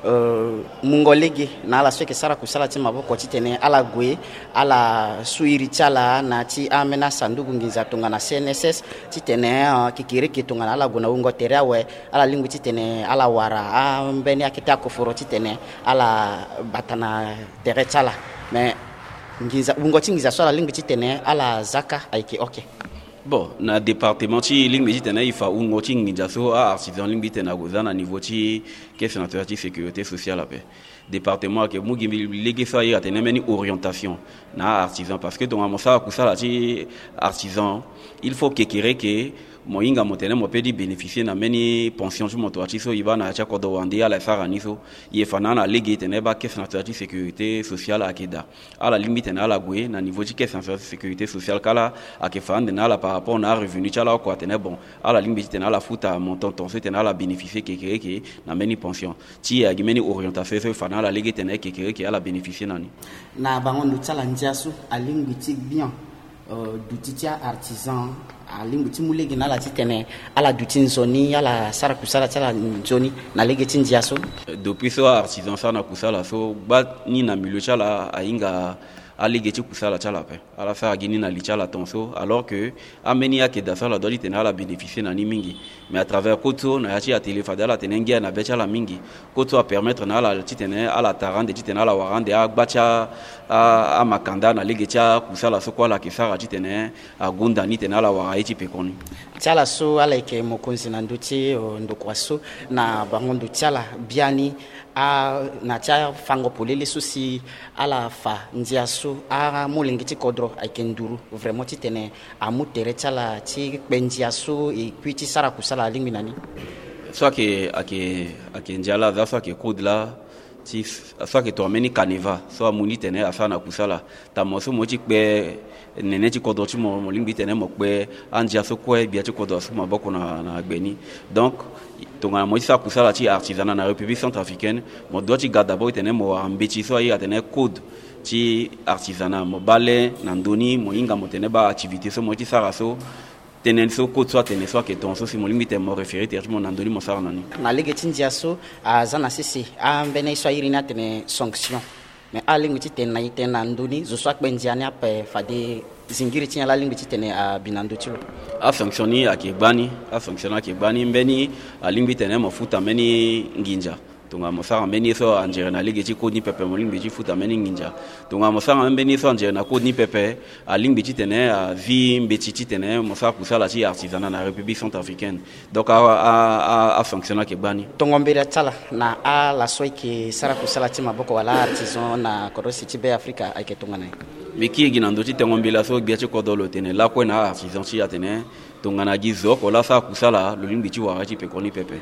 euh, mungo lege na ala so ayeke sara kusala ti maboko titene ala gue ala su iri ti ala na ya ti ambeni asanduku nginza tongana C N S S titene, euh, kekereke tongana ala gue na wungo tere awe, ala lingbi titene ala wara ambeni akete akoforo titene ala bata na tere ti ala. Mais nginza, wungo ti nginza so ala lingbi titene ala zaka ayeke oke. Bon, na département ti e lingbi titene e fa wungo ti nginza so aartisan lingbi titene ague za na niveau ti caisse nationale ti sécurité sociale ape. Département ayeke mu gi mbi lege so a iri atene mbeni orientation na aartisan, parce que tongana mo sara kusala ti artisan, il faut kekereke mo hinga mo tene mo peut ti bénéficier na mbeni pension ti mo, tonga ti so e baa na ya ti akodro wande ala e sara ni so. E fa na ala lege tene e baa caisse nationale ti sécurité sociale ayeke daa. Ala lingbi tene ala gue na niveau ti caisse nationale ti sécurité sociale kala ayeke fa ande na ala par rapport na arevenu ti ala oko atene bon, ala lingbi titene ala futa montant ton so titene ala bénéficier kekereke na mbeni pension. Ti e agi mbeni orientation so e fa na ala lege tene kekereke ala bénéficier na ni. Na bango ndo ti ala ndia so alingbi ti gbia, euh, duti ti aartisan alingbi ti mu lege na ala titene ala duti nzoni, ala sara kusala ti ala nzoni na lege ti ndia so. Depuis so aartisan asara na kusala so, gbani na milieu ti ala ahinga alege ti kusala ti ala ape. Ala sara gi ni na li ti ala ton so, alors que ambeni ayeke daa so ala doit titene ala bénéficier na ni mingi. Mais à travers côte so na ya ti atelier fade ala tene ngia na be ti ala mingi. Côte so apermettre na ala titene ala tara ande, titene ala wara ande agba ti a, a, amakanda na lege ti akusala so kue ala yeke sara titene agonda ni titene ala wara ye ti pekoni. Ti ala so ala yeke mokonzi na ndö ti, euh, ndokua so, na bango ndo ti ala biani, a, na ti afango polele so si ala fa ndia so amolenge ti kodro ayeke nduru vraiment titene amu tere ti ala ti kpe ndia so e kui ti sara kusala alingbi na ni. So ayeke, ayeke, ayeke ndia laa aza so ayeke code laa ti so ayeke tongana mbeni canevas so amu ni tene asara na kusala. Tama so mo ye ti kpe nene ti kodro ti mo, mo lingbi titene mo kpe andia so kue gbia ti kodro asu maboko na, na gbe ni. Donc tongana mo ye ti sara kusala ti artisanat na République centrafricaine, mo doit ti ga d'abord titene mo wara mbeti so a iri atene code ti artisanat. Mo baa le na ndö ni mo hinga mo tene baa activité so mo ye ti sara so, tënë so code so atene so ayeke tongaso si mo lingbi tene mo référer tere ti mo na ndö ni mo sara na ni. Na lege ti ndia so aza na sese ambeni ye so a iri ni atene sanction. Mais alingbi titene na e tene na ndö ni zo so akpe ndia ni ape fade zingiri ti nyen laa alingbi titene abi na ndö ti lo? Asanction ni ayeke gbani, asanction ni ayeke gbani. Mbeni alingbi titene mo futa mbeni nginza. Tongana mo sara mbeni ye so anzere na lege ti code ni pepe, mo lingbi ti futa mbeni nginza. Tongana mo sara mbeni ye so anzere na code ni pepe, alingbi titene azi mbeti titene mo sara kusala ti artisanat na République centrafricaine. Donc a, a, a, asanction ni ayeke gbani. Tongo mbela ti ala na ala so ayeke sara kusala ti maboko wala artisan na kodro si ti Be Afrika ayeke tongana nyen? Mbi kiri gi na ndö ti tongo mbela so gbia ti kodro lo tene lakue na artisan ti e atene tongana gi zo oko laa asara kusala lo lingbi ti wara ye ti pekoni pepe.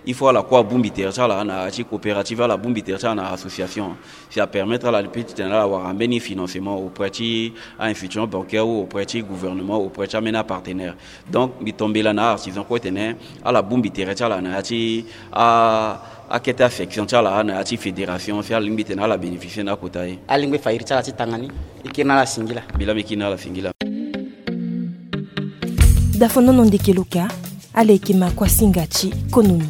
Il faut ala kue abongbi tere ti ala na ya ti coopérative, ala bongbi tere ti ala na association. Si apermettre ala peut titene ala wara mbeni financement auprès ti a-institution bancaire ou auprès ti gouvernement, auprès ti ambeni apartenaire. Donc mbi to mbela na artisan kue tene ala bongbi tere ti ala na ya ti a, akete asection ti ala na ya ti fédération si ala lingbi tene ala bénéficier na akota ye. Alingbi fa iri ti ala ti tanga ni. E kiri na ala singila. Mbi laa mbi kiri na ala singila. Dafonono ndeke loka, ala yeke makuasinga ti konomi.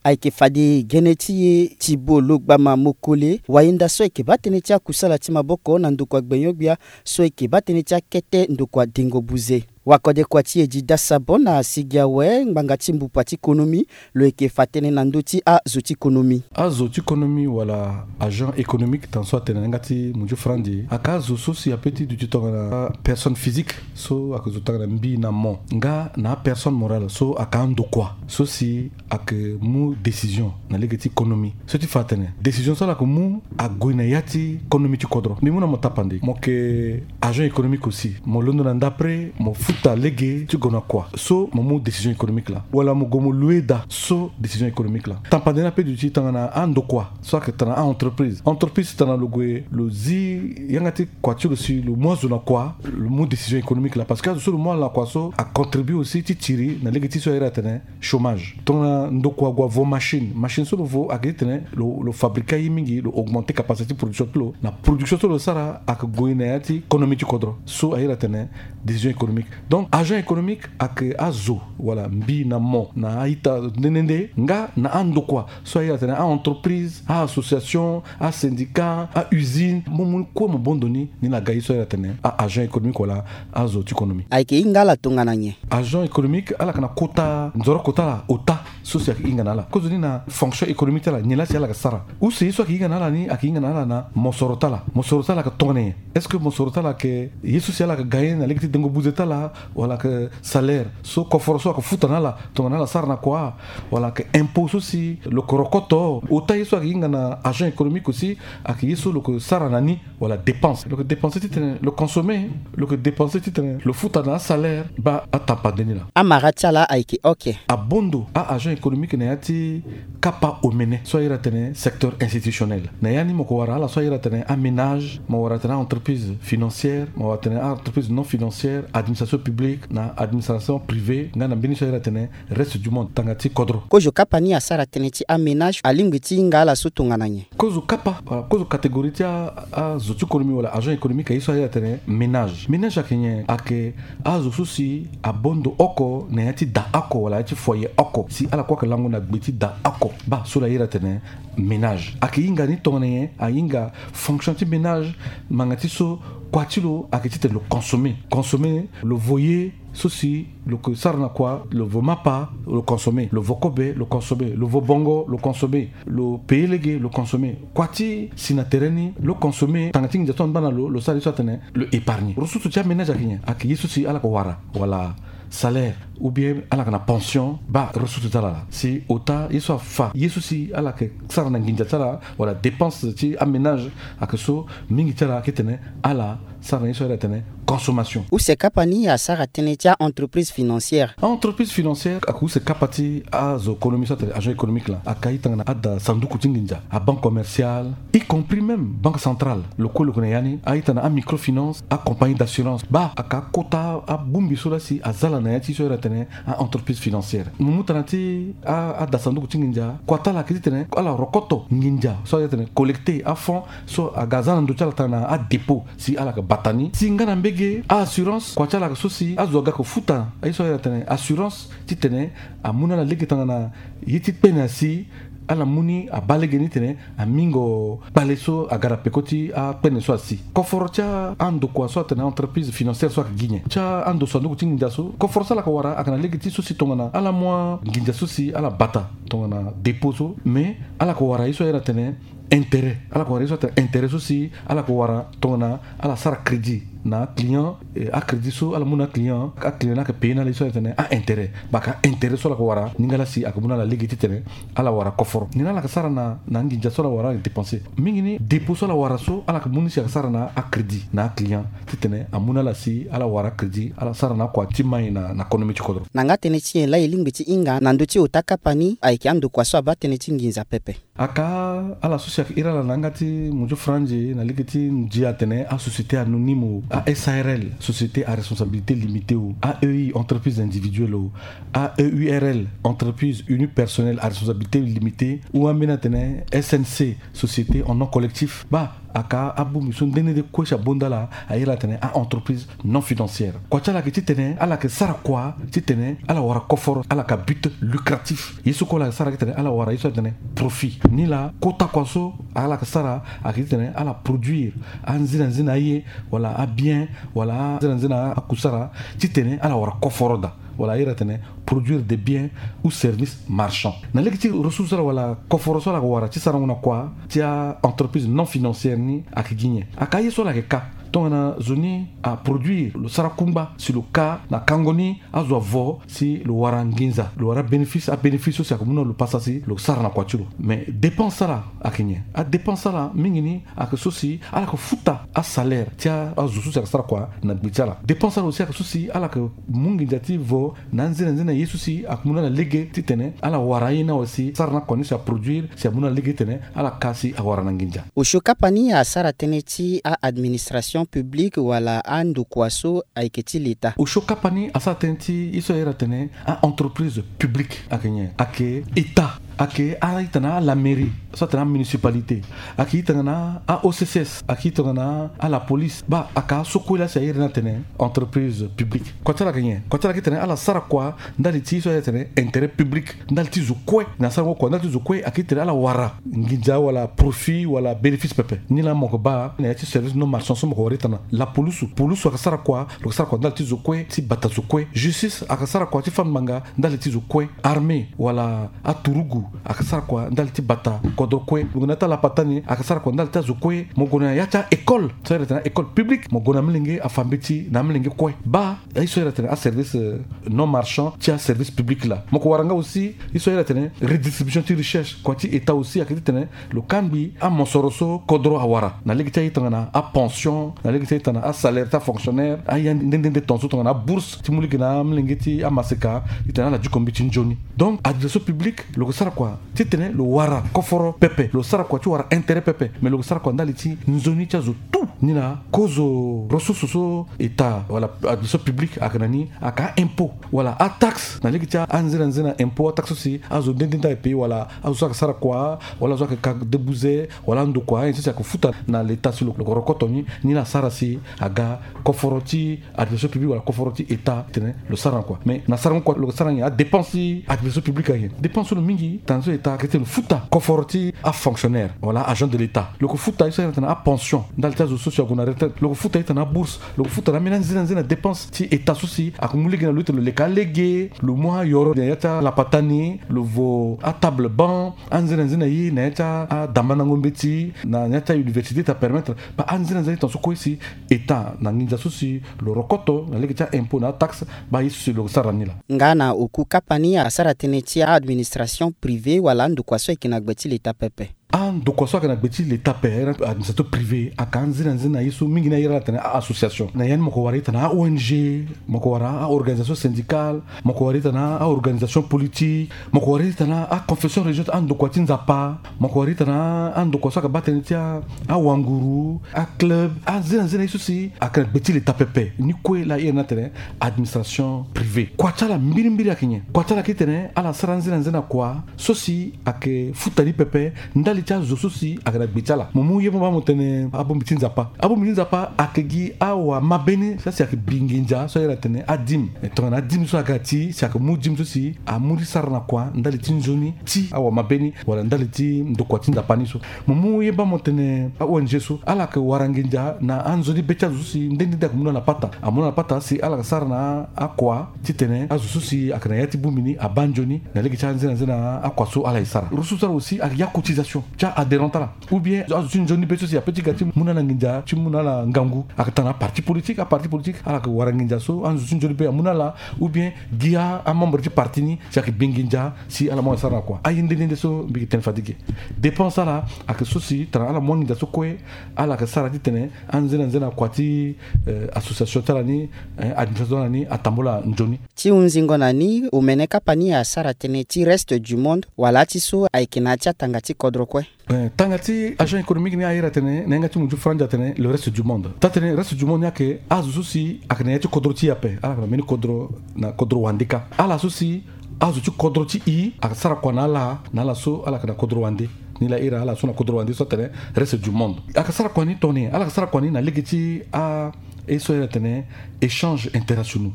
Ayeke fade gene ti e ti bo lo gbama mokole wayenda so ayeke baa tënë ti akusala ti maboko na ndokua gbenyo-gbia so ayeke baa tënë ti akete ndokua dengo buze. Wakode kua ti e di dasa bon na sigi awe ngbanga ti mbupa ti konomi, lo yeke fa tënë na ndö ti azo ti konomi. Azo ti konomi wala agent économique, tana so atene na yanga ti munzu franzi, aka azo so si ape ti duti tongana personne physique so ake zo tongana mbi na mo, nga na apersonne morale so aka andokua so si ake mu décision na lege ti konomi. So ti fa atene décision so ala ke mu ague na ya ti konomi ti kodro. Mbi mu na mo tapande, mo ke agent économique aussi, mo londo na ndapre mo futa lege ti gue na kua so mo mu décision économique laa, wala mo gue mo loue daa so décision économique laa. Tapande ni ape duti tongana andokua so ake tongana a-entreprise. Entreprise tongana lo gue lo zi yanga ti kua ti lo si lo mu azo na kua, lo mu décision économique laa, parce que azo so lo mu ala na kua so acontribue aussi ti tiri na lege ti so airi atene chômage. Tongana ndokua ague avo machine, machine so lo vo ake ti tene lo, lo fabriquer aye mingi, lo augmenter capacité ti production ti lo. Na production so lo sara ake gue na ya ti konomi ti kodro so airi atene décision économique. Donc agent économique ake azo wala mbi na mo na a-ita nde nde nde, nga na andokua so airi atene a-entreprise, a-association, a-syndicat, a-usine, mo mu kue mo bondo ni, ni na ga ye so airi atene a-agent économique wala azo ti konomi. Ayeke hinga ala tongana nyen? Agent économique ala yeke na kota nzoroko ti ala ota so si ayeke hinga na ala. Kozoni na fonction économique ti ala, nyen laa si ala yeke sara. Use ye so ayeke hinga na ala ni ayeke hinga na ala na mosoro ti ala. Mosoro ti ala ayeke tongana nyen? Est-ce que mosoro ti ala ayeke ye so si ala yeke gagner na lege ti dengo buze ti ala, wala ayeke salaire so koforo so ayeke futa na ala tongana ala sara na kua, wala ayeke impôt so si lo yeke rokoto? Ota ye so ayeke hinga na agent économique aussi ayeke ye so lo yeke sara na ni, wala dépense. Lo yeke dépenser titene lo consommer, lo yeke dépenser titene lo futa na asalaire. Baa, atapande ni laa. Amara ti ala ayeke oke. Abondo a-agent économique na ya ti kapa omene so airi atene secteur institutionnel. Na ya ni mo yeke wara ala so airi atene aménage, mo wara atene a-entreprise financière, mo wara atene a-entreprise non financière, administration publique na administration privée, nga na mbeni so airi atene reste du monde, tanga ti kodro. Kozo kapa ni asara tënë ti aménage alingbi ti hinga ala so tongana nyen? Kozo kapa, voilà, kozo catégorie ti a, azo ti konomi wala agent économique aye so airi atene ménage. Ménage ayeke nyen? Ayeke azo so si abondo oko na ya ti da oko wala ya ti foyer oko, si ala kue ayeke lango na gbe ti da oko. Baa, so lo airi atene ménage. Ayeke hinga ni tongana nyen? Ahinga fonction ti ménage, ngbanga ti so kua ti lo ayeke titene lo consommer. Consommer, lo vo ye so si lo yeke sara na kua, lo vo mapa, lo consommer, lo vo kobe, lo consommer, lo vo bongo, lo consommer, lo payer lege, lo consommer. Kua ti si na tere ni, lo consommer, tanga ti nginza so angba na lo, lo sara ye so atene lo épargner. Ressource ti aménage ayeke nyen? Ayeke ye so si ala yeke wara, wala salaire, ou bien ala yeke na pension. Baa, ressource ti ala laa. Si ota ye so afa ye so si ala yeke sara na nginza ti ala, wala dépense ti aménage, ayeke so mingi ti ala ayeke tene ala sara na ye so airi atene consommation. Use kapa ni asara tënë ti a-entreprise financière. A-entreprise financière ayeke use kapa ti azo konomi so atene agent économique laa. Ayeke aye tongana ada sanduku ti nginza, a-banque commerciale, y compris même banque centrale. Lo kue lo yeke na ya ni. Aye tongana a-microfinance, a-compagnie d'assurance. Baa, ayeke akota abongbi so laa si aza ala na ya ti so airi atene a-entreprise financière. Mo mu tana ti a, ada sanduku ti nginza, kua ti ala ayeke titene ala rokoto nginza so airi atene collecter a-fonds so aga aza na ndö ti ala tongana a-dépôt si ala yeke bata ni. Si nga na mbege a-assurance, kua ti ala ayeke so si azo aga yeke futa aye so airi atene assurance, titene amu na ala lege tongana ye ti kpene asi, ala mu ni abaa lege ni titene amingo kpale so aga na peko ti akpene so asi. Koforo ti andokua so atene entreprise financière so ayeke gi nyen? Ti ando sanduku ti nginza so, koforo so ala yeke wara ayeke na lege ti so si tongana ala mu anginza so si ala bata tongana dépôt so, mais ala yeke wara ye so airi atene intérêt. Ala yeke wara ye so atene intérêt so si ala yeke wara tongana ala sara crédit na aclient, eh, acrédit so ala mu na aclient, aclient ni ayeke payer na ala ye so atene a-intérêt. Baka intérêt so ala yeke wara ni nga laa si ayeke mu na ala lege titene ala wara koforo. Ni laa ala yeke sara na, na anginza so ala wara ala yeke dépenser. Mingi ni dépôt so ala wara so ala yeke mu ni si ayeke sara na acrédit na aclient titene amu na ala si ala wara crédit, ala sara na akua ti mai na, na konomi ti kodro. Na nga tënë ti nyen laa e lingbi ti hinga na ndö ti ota kapa ni ayeke andokua so abaa tënë ti nginza pepe? Aka ala so si ayeke iri ala na yanga ti munzu franzi na lege ti ndia atene a-société anonyme o, a-S A R L, société à responsabilité limitée o, A E I, entreprise individuelle o, A E U R L, entreprise unipersonnelle à responsabilité limitée, ou ambeni atene S N C, société en nom collectif. Baa, Aka abongbi so nde nde nde kue si abonda ala, a iri atene a-entreprise non financière. Kua ti ala yeke titene ala yeke sara kua titene ala wara koforo, ala yeke a-but lucratif. Ye so kue ala yeke sara titene ala wara ye so atene profit. Nilaa kota kua so ala yeke sara ayeke titene ala produire anzina nzina aye, wala abien, wala anzina nzina akusara, titene ala wara koforo daa. Wala a iri atene produire des biens ou services marchands. Na lege ti ressource ala wala koforo so ala yeke wara ti sarango na kua ti a-entreprise non financière ni ayeke gi nyen? Aka aye so ala yeke ka. Tongana zo ni aproduire, lo sara kungba si lo ka na kango ni azo avo si lo wara nginza, lo wara bénéfice, abénéfice so si ayeke mu na lo pasa si lo sara na kua ti lo. Mais dépense ala ayeke nyen? Adépense ala mingi ni ayeke so si ala yeke futa asalaire ti azo so si ayeke sara kua na gbe ti ala. Dépense ala aussi ayeke so si ala yeke mu nginza ti vo na anzene anzene ye so si ayeke mu na ala lege titene ala wara aye ni awe si sara na kua ni si aproduire si amu na ala lege titene ala ka si awara na nginza. Osio kapa ni asara tënë ti a-administration publique wala andokua so ayeke ti leta. Osio kapa ni asara tënë ti ye so a iri atene a-entreprise publique. Ayeke nyen? Ayeke état. Ayeke a-ita na ala mairie so atene amunicipalité. Ayeke ita nga na a-O C C S. Ayeke ita nga na ala police. Baa, ayeke aso kue laa si a iri ni atene entreprise publique. Kua ti ala ayeke nyen? Kua ti ala ayeke titene ala sara kua ndali ti so a iri atene intérêt public, ndali ti zo kue. Na sarango kua ndali ti zo kue ayeke titene ala wara nginza wala profit wala bénéfice pepe. Ni laa mo yeke baa na ya ti service non marchand so mo yeke wara ita na lapulusu. Pulusu ayeke sara kua, lo yeke sara kua ndali ti zo kue, ti bata zo kue. Justice ayeke sara kua ti fâ ngbanga ndali ti zo kue. Armée wala aturugu ayeke sara kua ndali ti bata kodro kue. Lo gue na ya ti alapata ni ayeke sara kua ndali ti azo kue. Mo gue na ya ti a-école so a iri atene a-école publique, mo gue na amolenge afa mbeti na amolenge kue. Baa, ye so a iri atene aservice, euh, non marchand ti aservice public laa. Mo yeke wara nga aussi ye so a iri atene redistribution ti richesse. Kua ti état aussi ayeke titene lo kangbi amosoro so kodro awara na lege ti aye tongana apension, na lege ti aye tongana asalaire ti afonctionnaire, aye nde nde nde ton so tongana abourse ti mu lege na amolenge ti amaseka titene ala diko mbeti nzoni. Donc administration publique lo yeke sara kua titene lo wara koforo pepe, lo sara kua ti wara intérêt pepe, mais lo yeke sara kua ndali ti nzoni ti azo tout. Ni laa kozo ressource so état wala administration publique ayeke na ni, ayeke a-impôt wala ataxe na lege ti anzena nzena impôt, ataxe so si azo nde nde nde ayeke payer wala azo so ayeke sara kua wala azo ayeke ka debuze wala andokua, ayen so si ayeke futa na leta si lo, lo yeke rokoto ni. Ni laa asara si aga koforo ti administration publique wala koforo ti état titene lo sara na kua. Mais na sarango kua lo yeke sara nyen? Adépense ti administration publique ayeke nyen? Dépense so lo mingi tongana so état ayeke titene lo futa koforo ti afonctionnaire wala agent de l'état. Lo yeke futa ye so a iri atene apension ndali ti azo so si ague na retraite. Lo yeke futa ye tongana abourse. Lo yeke futa na ambeni anzena nzena dépense ti état so si ayeke mu lege na lo titene lo leke alege, lo mu ayoro na ya ti alapata ni, lo vo atable banc, anzena nzena ye na ya ti adambandango mbeti na ya ti auniversité ti apermettre. Baa, anzena nzena ye tongana so kue si état na nginza so si lo rokoto na lege ti a-impôt na ataxe, baa ye so si lo sara ni laa. Nga na oku kapa ni asara tënë ti a-administration privée wala andokua so ayeke na gbe ti leta pepe. Andokua so ayeke na gbe ti leta ape, a-administration privée, ayeke anzena nzena ye so mingi ni a iri ala atene a-association. Na ya ni mo yeke wara ita na a-ONG, mo yeke wara a-organisation syndicale, mo yeke wara ita na a-organisation politique, mo yeke wara ita na a-confession religieuse, andokua ti Nzapa, mo yeke wara ita na andokua so ayeke baa tënë ti a, awanguru, aclub, anzena nzena ye so si ayeke na gbe ti leta pepe. Ni kue laa a iri ni atene administration privée. Kua ti ala mbirimbiri ayeke nyen? Kua ti ala ayeke titene ala sara anzena nzena kua so si ayeke futa ni pepe ndali ti azo so si ayeke na gbe ti ala. Mo mu ye mo baa mo tene abongbi ti Nzapa. Abongbi ti Nzapa ayeke gi awamabe ni so si ayeke bi nginza so a iri atene adime. E, tongana adime so aga ti si ayeke mu dime so si amu ni sara na kua ndali ti nzoni ti awamabe ni wala ndali ti ndokua ti Nzapa ni so. Mo mu ye baa mo tene a-ONG so, ala yeke wara nginza na anzoni be ti azo so si nde nde nde ayeke mu na ala pata. Amu na ala pata si ala yeke sara na akua titene azo so si ayeke na ya ti bongbi ni abaa nzoni na lege ti anzena nzena akua so ala ye sara. Ressource ala aussi ayeke ya cotisation ti a-adhérent ti ala. Ou bien azo ti nzoni be so si ape ti ga ti mu na ala nginza, ti mu na ala ngangu, ayeke tongana aparti politique. Aparti politique ala yeke wara nginza so azo ti nzoni be amu na ala, ou bien gi amembre ti parti ni si ayeke bi nginza si ala mu ala sara na kua. Aye nde nde nde so mbi yeke tene fade ge. Dépense ala ayeke so si tongana ala mu anginza so kue, ala yeke sara titene anzena nzena kua ti, eh, association ti ala ni, eh, administration ti ala ni atambula nzoni. Ti hunzingo na ni, omene kapa ni asara tënë ti reste du monde wala ti so ayeke na ya ti atanga ti kodro kue. Eh, tanga ti agent économique ni a iri atene na yanga ti munzu franzi atene le reste du monde. Taa-tënë reste du monde ni ayeke azo so si ayeke na ya ti kodro ti e ape. Ala yeke na mbeni kodro, na kodro wande kâ. Ala so si azo ti kodro ti e ayeke sara kua na ala, na ala so ala yeke na kodro wande. Ni laa ira ala so na kodro wande so atene reste du monde. Ala yeke sara kua ni tongana nyen? Ala yeke sara kua ni na lege ti a, e so ira atene échange internationaux.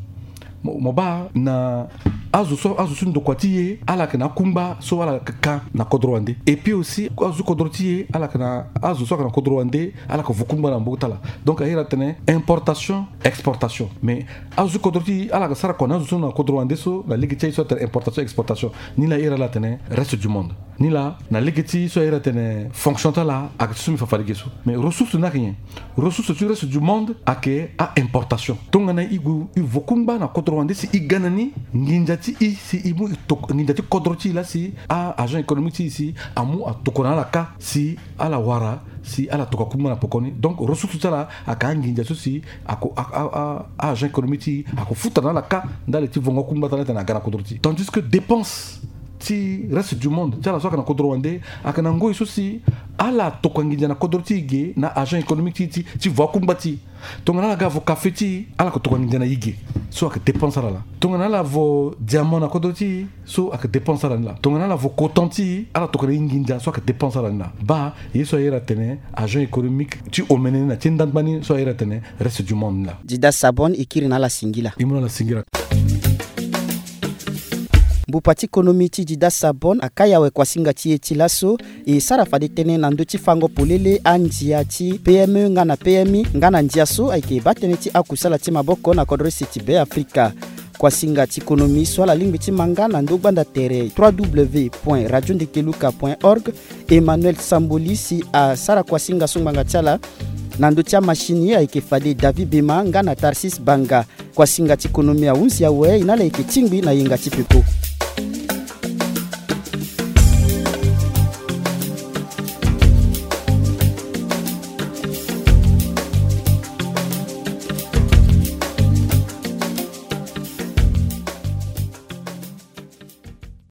Mo, mo baa na azo so, azo so ndokua ti e ala yeke na akungba so ala yeke ka na kodro wande. Et puis aussi azo so kodro ti e ala yeke na azo so ayeke na kodro wande, ala yeke vo kungba na maboko ti ala. Donc a ira atene importation, exportation. Mais azo so kodro ti e ala yeke sara kua na azo so na kodro wande so na lege ti aye so atene importation, exportation. Ni laa ira ala atene reste du monde. Ni laa na lege ti so a ira atene fonction ti ala ayeke ti so mbi fa fade ge so. Mais ressource ni ayeke nyen? Ressource ti reste du monde ayeke a-importation. Tongana e gue e vo kungba na kodro wande si e ga na ni, nginza ti e si e mu e toko, nginza ti kodro ti e laa si a-agent économique ti e si amu atokua na ala kâ si ala wara si ala tokua kungba na pekoni. Donc ressource ti ala ayeke anginza so si ako, a, a, a, a-agent économique ti e ako futa na ala kâ ndali ti vongo akungba ti ala ti tena aga na kodro ti e. Tandis que dépense ti reste du monde ti ala so ayeke na kodro wande ayeke na ngoi so si ala tokua nginza na kodro ti e ge na agent économique ti e ti, ti vo akungba ti e. Tongana ala ga vo kafe ti e, ala yeke tokua nginza na e ge. So ayeke dépense ala laa. Tongana ala vo diamant na kodro ti e, so ayeke dépense ala ni laa. Tongana ala vo coton ti e, ala tokua na e nginza. So ayeke dépense ala ni laa. Baa ye so a iri atene agent économique ti omene ni na ti ndangba ni so a iri atene reste du monde ni laa. Dida Sabon e kiri na ala singila. E mu na ala singila. Mbupa ti konomi ti Dida Sabon akai awe kuasinga ti e ti laso. E sara fade tënë na ndö ti fango polele andia ti P M E nga na P M I nga na ndia so ayeke baa tënë ti akusala ti maboko na kodro ese ti Be Afrika. Kuasinga ti konomi so ala lingbi ti ma nga na ndö gbanda tere trois W point radio ndeke luka point org, Emmanuel Samboli si asara kuasinga so ngbanga ti ala na ndö ti amashini ayeke fade David Bema nga na Tarsis Banga. Kuasinga ti konomi ahunzi awe, e na ala yeke tingbi na yenga ti pepo.